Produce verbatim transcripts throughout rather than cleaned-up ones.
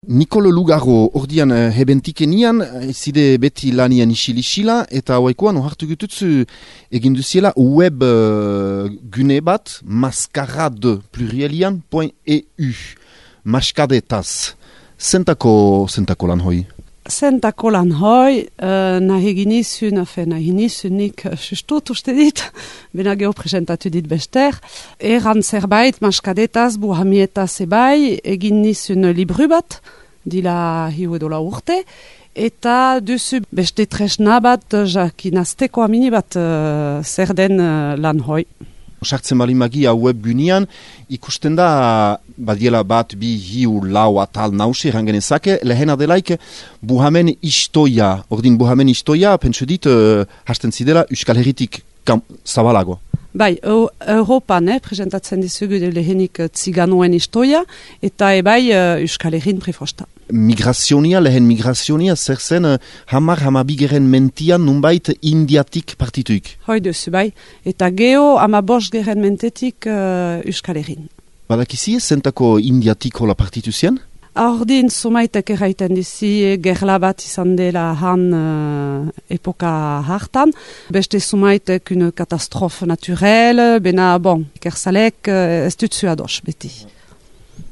Nikolo Lugaro ordian uh, hebentikenian, zide beti lanian isilisila, eta hauaikoan ohartu gututzu eginduziela web uh, gune bat, maskarade plurielian point e u, maskadetaz. Zentako, zentako lan hoi? Zentako lan hoi, uh, nahi ginizun, afe nahi ginizun nik sustut uste dit, bena geho presentatu dit bester, eran zerbait maskadetaz, buhamietaz ebai, egin nizun libru bat, dila hiu edola urte, eta duzu beste tresna bat, jakinazteko amini bat uh, zer den uh, lan hoi. Sartzen bali magia web gunean, ikusten da, badiela bat, bi, hiu, lau, atal, nausi, rangenezake, lehena delaik, buhamen istoia, ordin buhamen istoia, pentsu dit, uh, hasten zidela, Euskal Herritik zabalago. Bai, Europan, eh, presentatzen dizugu lehenik ziganoen istoia, eta ebai uh, Euskal Herrin prefosta. Migrazionia, lehen migrazionia, zer zen uh, hamar hamabigeren mentian nunbait indiatik partituik. Hoi duzu, bai. Eta geho hamabos geren mentetik uh, Euskal Herrin. Badakizi, zentako indiatik hola partitu zien? Ordin sumaitek erraiten dizi gerla bat izan dela han uh, epoka hartan. Beste sumaitek une katastrofe naturel, bena, bon, kerzalek uh, ez dutzu ados beti.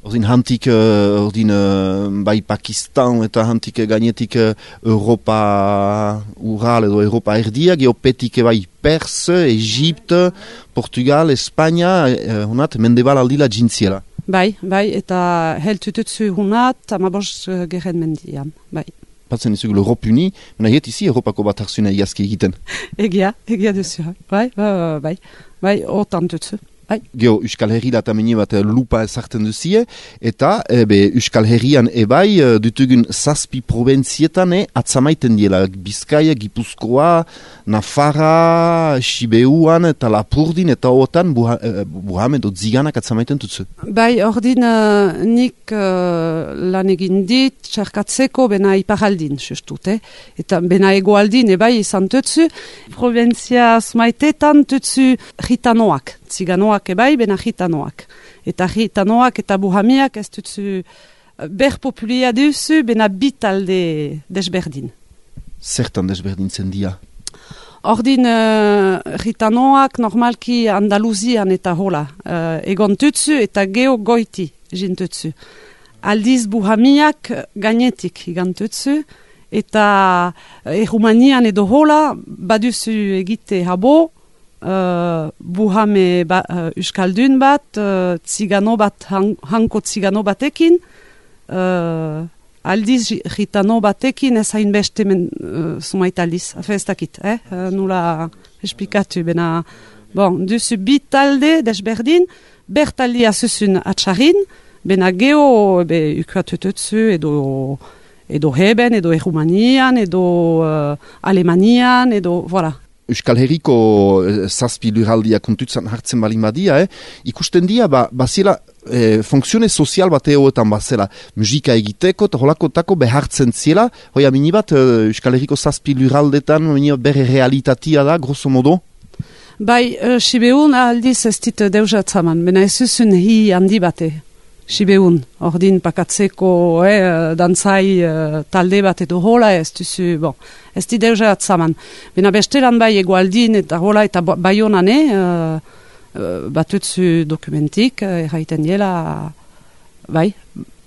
Ordin hantik, uh, ordin uh, bai Pakistan eta hantik gainetik uh, Europa Ural edo Europa erdia, geopetik bai Perse, Egypte, Portugal, Espanya, uh, honat mendebal aldila jintziela. Bai, bai, eta heltututzu hunat, amabos uh, geren mendian, bai. Patzen izugu l'Europe Uni, mena hiet izi Europako bat harzuna iazki egiten. Egia, egia duzu, bai, bai, bai, bai, otan tutzu. Bai. Geo, Euskal Herri latameni bat lupa ezartzen duzie, eta ebe, Euskal Herrian ebai dutugun zazpi probentzietan e, atzamaiten diela Bizkaia, Gipuzkoa, Nafarra, Sibeuan, eta Lapurdin, eta otan buha, eh, buham edo ziganak atzamaiten tutzu. Bai, ordin uh, nik uh, lan egin dit, txerkatzeko bena iparaldin, sustut, eh? Eta bena egoaldin ebai izan tutzu, probentzia zmaitetan tutzu gitanoak. Ziganoak ebai, bena gitanoak. Eta gitanoak eta buhamiak ez dutzu ber populia duzu, bena bitalde desberdin. Zertan desberdin zen dia? Ordin uh, gitanoak normalki Andaluzian eta hola uh, egon tutzu eta geo goiti jintutzu. Aldiz buhamiak gainetik igantutzu eta erumanian edo hola baduzu egite habo, Uh, buhame ba, uh, Euskaldun bat, uh, zigano bat, han, hanko zigano batekin, uh, aldiz gitano batekin ez hain beste men uh, sumaitaliz, afe ez dakit, eh? Uh, nula esplikatu, bena, bon, duzu bitalde desberdin, bertaldia zuzun atxarin, bena geho, be, ukuatututzu, edo, edo heben, edo erumanian, edo uh, alemanian, edo, voilà. Euskal Herriko eh, zazpi lurraldia kontutzan hartzen balin badia, eh? Ikusten dia, ba, bazela, eh, funkzione sozial bat egoetan bazela, musika egiteko, eta holako tako behartzen ziela, hoia minibat, eh, Euskal Herriko zazpi lurraldetan, minibat bere realitatea da, grosso modo? Bai, uh, Sibeun aldiz ez dit deusatzaman, bena ez zuzun hi handi bate. Sibeun, ordin pakatzeko eh, dantzai uh, talde bat edo hola ez duzu, bon, ez di deuze atzaman. Bena bestelan bai egualdin eta hola eta baionane uh, uh, batutzu dokumentik, uh, erraiten diela, bai,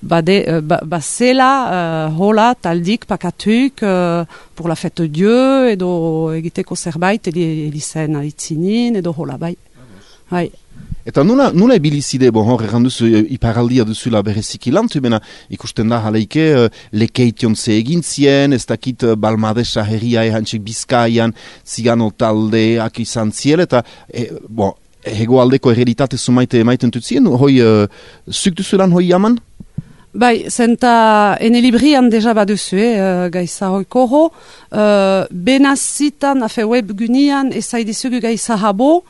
bade, uh, ba, bazela uh, hola taldik pakatuk uh, pour la fête de Dieu edo egiteko zerbait elizen aitzinin edo hola, bai, bai. Eta nula, nula ebilizide, bon, hor erranduzu iparaldia duzula bereziki lantu, bena ikusten da jaleike uh, lekeition ze egin zien, ez dakit uh, Balmadesa herria ehantxek Bizkaian, zigano taldeak izan ziel, eta e, bon, hegoaldeko ereditate zumaite emaiten tutzien, hoi uh, zuk duzulan hoi jaman? Bai, zenta ene librian deja baduzu, eh, gaiza hoiko ho, uh, benazitan, afe web gunian, ezaidizugu gaiza habo,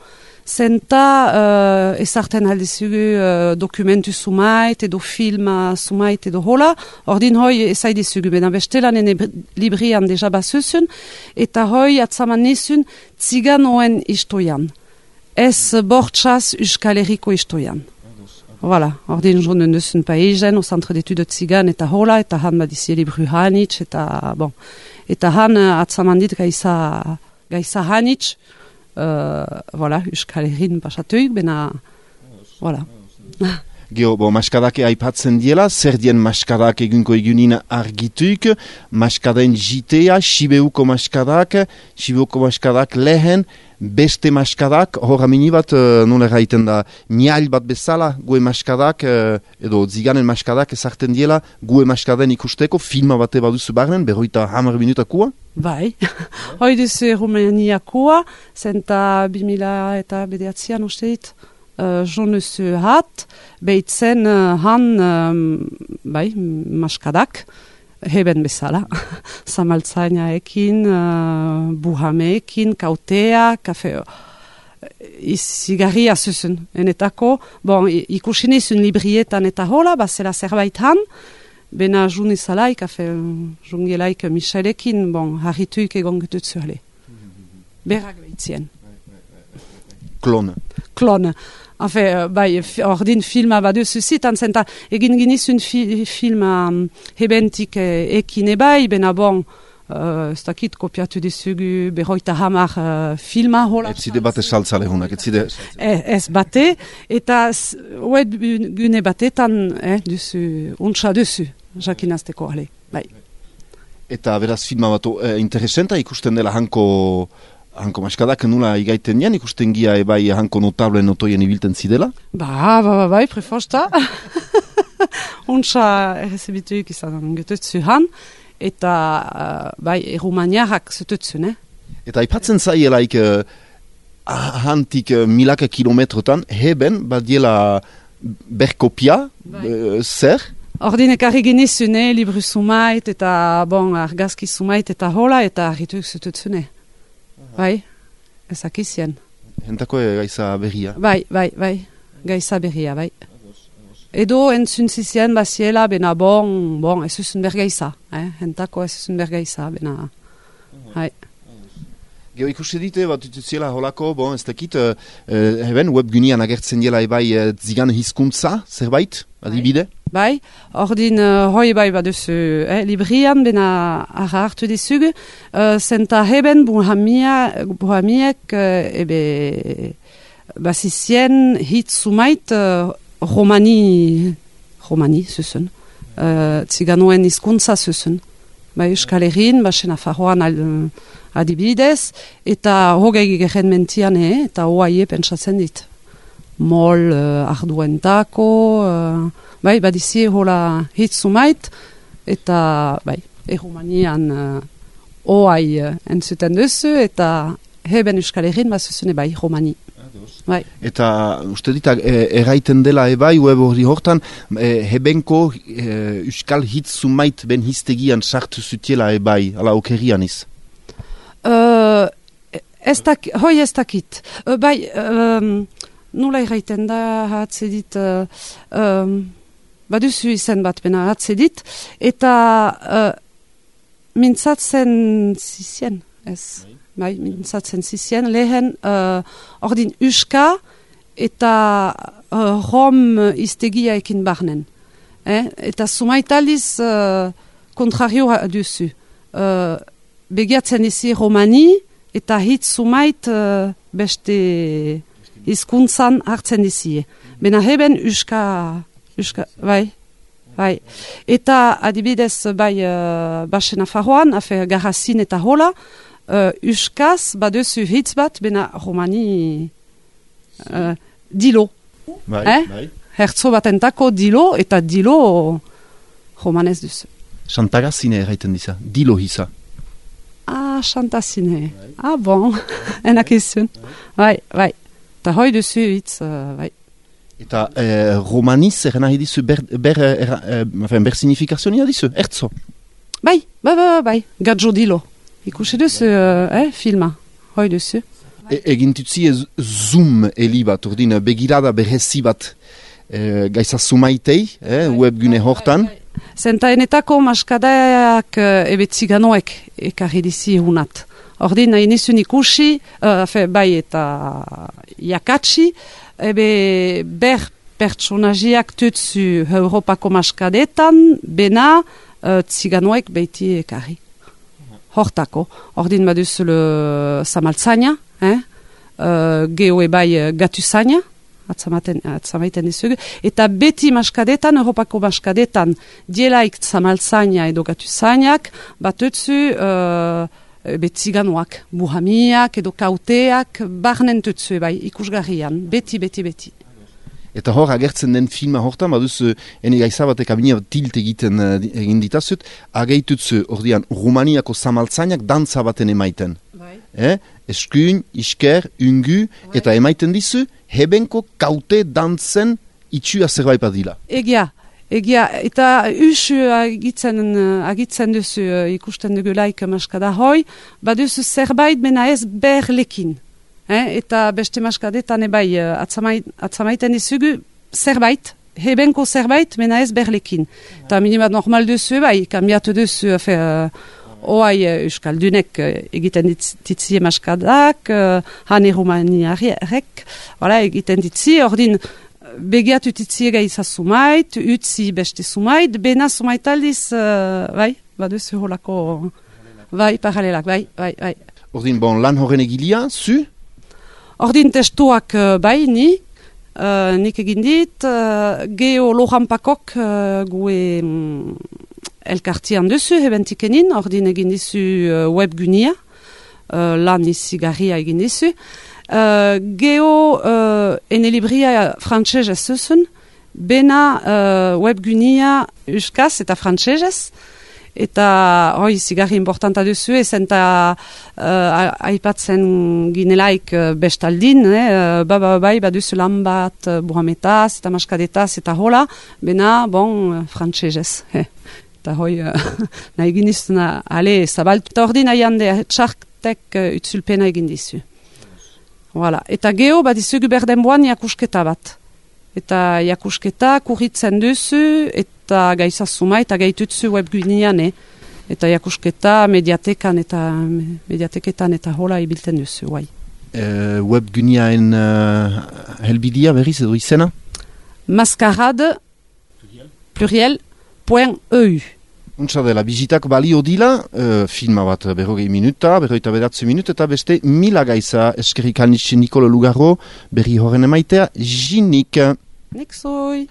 zenta uh, ezarten aldizugu uh, dokumentu sumait edo filma sumait edo hola, ordin hoi ezaidizugu, bena bestelan ene librian deja basuzun, eta hoi atzaman nizun ziganoen istoian, ez bortxaz Euskal Herriko istoian. Voilà, ordin jonen duzun paizen, au centre d'études tzigan eta hola, eta han badizie libru hanitz, eta, bon, eta han atzamandit gaiza, gaiza hanitz, uh, voilà, Euskal Herrin pasatuik, bena, voilà. Geo, bo, maskadak aipatzen diela, zer dien maskadak egunko egunin argituik, maskaden jitea, Sibeuko maskadak, Sibeuko maskadak lehen, beste maskadak, hor amini bat, uh, nola gaiten da, niail bat bezala, gue maskadak, uh, edo ziganen maskadak ezarten diela, gue maskaden ikusteko, filma bate baduzu barnen, berroita hamar minutakua? Bai, hoi duzu Rumaniakua, zenta bimila eta bedeatzian uste dit, uh, jonuzu hat, behitzen uh, han, um, bai, maskadak, heben bezala, zamaltzainaekin, uh, buhameekin, kautea, kafe, izigarria zuzun, enetako, bon, ikusinezun librietan eta hola, bazela zerbait han, bena junizalaik, kafe, jungelaik Michelekin, bon, harrituik egon getutzu hale. Berrak behitzien. Klon. Klon. Enfin, bai, ordin filma baduzu zitan, zenta egin ginizun fi, filma um, hebentik e, ekin ebai, bena bon, uh, ez dakit kopiatu dizugu berroita hamar uh, filma hola. Ez zide bate saltzale honak, ez zide... Ez, ez bate, eta oed gune batetan, eh, duzu, untsa duzu, jakinazteko, ale, bai. Eta beraz filma bat eh, interesenta ikusten dela hanko... Hanko maskadak nula igaiten nian, ikusten gia ebai hanko notable notoien ibilten zidela? Ba, ba, ba, bai, prefosta. Untsa errezibituik izan getutzu han, eta uh, bai, erumaniarrak zututzu, ne? Eta aipatzen zaielaik uh, hantik uh, milaka kilometrotan, heben badiela berkopia, bai. uh, zer? Ordin ekarri genizune, libru sumait, eta bon, argazki sumait, eta hola, eta harrituik zututzune. Bai, ezakizien. Hentako gaiza berria. Bai, bai, bai, gaiza berria, bai. Edo entzun zizien baziela, bena bon, bon, ez uzun bergaiza. Eh? Hentako ez uzun bergaiza, bena, bai. Geo ikusi dite, bat utziela holako, bon, ez dakit, uh, heben, webgunian agertzen dela ebai uh, zigan hizkuntza, zerbait, adibide? Bai, ordin uh, hoi bai baduzu eh, librian, bena arra hartu dizugu, uh, zenta heben buhamia, buhamiek uh, ebe basizien hit sumait uh, romani, romani zuzun, uh, ziganoen hizkuntza zuzun. Bai, Euskal Herrin, basen afarroan al, adibidez, eta hogei geren mentian, eh, eta hoaie pentsatzen dit. Mol uh, arduentako, uh, bai, badizie hola hitzumait, eta, bai, erumanian uh, oai uh, entzuten duzu, eta heben Euskal Herrin bazuzune, bai, romani. Bai. Eta uste dita e, erraiten dela ebai, web hori hortan, e, hebenko e, Euskal hitzumait ben hiztegian sartu zutiela ebai, ala okerian iz? Uh, ez dak, hoi ez dakit. Uh, bai, um, nula erraiten da hatzedit, uh, um, baduzu izen bat bena hatzedit, eta uh, mintzatzen zizien, ez? Bai, mintzatzen zizien, lehen uh, ordin uska eta uh, rom iztegia ekin barnen. Eh? Eta sumaitaliz uh, kontrario duzu. Uh, begiatzen izi romani eta hit sumait uh, beste hizkuntzan hartzen izi. Bena heben uska, uska, bai, bai. Eta adibidez bai uh, basen afarroan, afe garrazin eta hola, Uh, uskaz, baduzu hitz bat, bena romani uh, dilo. Bai, eh? bai. Hertzo batentako dilo, eta dilo romanez duzu. Xantagazine erraiten diza, dilo hisa. Ah, xantazine. Bai. Ah, bon, enak izun. Bai, bai. Ta hoi duzu hitz, uh, bai. Eta eh, romaniz erren ahi dizu ber, ber, er, er, ber signifikazionia dizu, hertzo? Bai, bai, bai, bai, gadjo dilo. Ikusi duzu, uh, eh, filma, hoi duzu. E, egin tutzi zoom eli bat, ordin begirada berrezi bat e, gaiza sumaitei, eh, webgune hortan. Zenta enetako maskadaak uh, ebe tziganoek ekarri dizi hunat. Ordin nahi nizun ikusi, uh, fe, bai eta jakatsi, ebe ber pertsonajiak tutsu Europako maskadetan, bena uh, ziganoek beiti ekarri. Hortako, ordin baduzu le samaltzaina, eh? uh, geho ebai gatuzaina, atzamaiten dizugu, eta beti maskadetan, Europako maskadetan, dielaik samaltzaina edo gatuzainak, batutzu uh, betziganoak, buhamiak edo kauteak, barnen tutzu ebai, ikusgarrian, beti, beti, beti. Eta hor, agertzen den filma hortan, baduz, ene gaizabatek abina tilt egiten uh, egin ditazut, ageitutzu, ordean, Rumaniako samaltzainak dantza baten emaiten. Bai. Eh? Eskuin, isker, ungu, bai. Eta emaiten dizu, hebenko kaute dantzen itxua zerbait badila. Egia, egia, eta usu agitzen, agitzen duzu uh, ikusten dugulaik maskada hoi, baduzu zerbait mena ez berlekin. Eh, eta beste maskadetan ebai uh, atzamait, atzamaiten dizugu zerbait, hebenko zerbait, mena ez berlekin. Eta ja. Minimat normal duzu ebai, kambiatu duzu, fe, uh, oai uh, Euskaldunek uh, egiten ditzie maskadak, uh, hane Rumaniarek, voilà, egiten ditzie, ordin begiatu ditzie gaiza sumait, utzi beste sumait, bena sumait aldiz, uh, bai, baduzu holako, bai, paralelak, bai, bai, bai. Ordin, bon, lan horren egilia, zu? Ordin testuak uh, bai, ni, uh, nik egin dit, uh, geho lojampakok uh, gue um, elkartian duzu, hebentikenin, ordin egin dizu uh, webgunia, uh, lan izigarria egin dizu. Uh, geho uh, ene libria frantsesez zuzun, bena uh, webgunia euskaz eta frantsesez, eta hoi zigarri importanta duzu, ezen eta uh, aipatzen ginelaik uh, bestaldin, eh, ba, ba, bai, baduzu lan bat uh, buhametaz eta maskadetaz eta hola, bena, bon, uh, frantsesez. Eh. Eta hoi, uh, nahi ginizuna, ale, zabaltu. Eta ordin aian de txartek uh, utzulpena egin dizu. Voilà. Eta geho, badizugu berdenboan jakusketa bat. Eta jakusketa kurritzen duzu, eta gaizazuma, eta gaitutzu webgunean, eh? Eta jakusketa mediatekan eta mediateketan eta hola ibilten duzu, guai. Uh, webguneaen uh, helbidia berriz edo izena? Maskarade, pluriel, point E U. Untsa dela, bizitak balio dila, uh, filma bat berrogei minuta, berroita bedatze minuta, eta beste mila gaiza eskerrik alnitxe Nikolo Lugarro, berri horren emaitea, jinik. Nik zoi.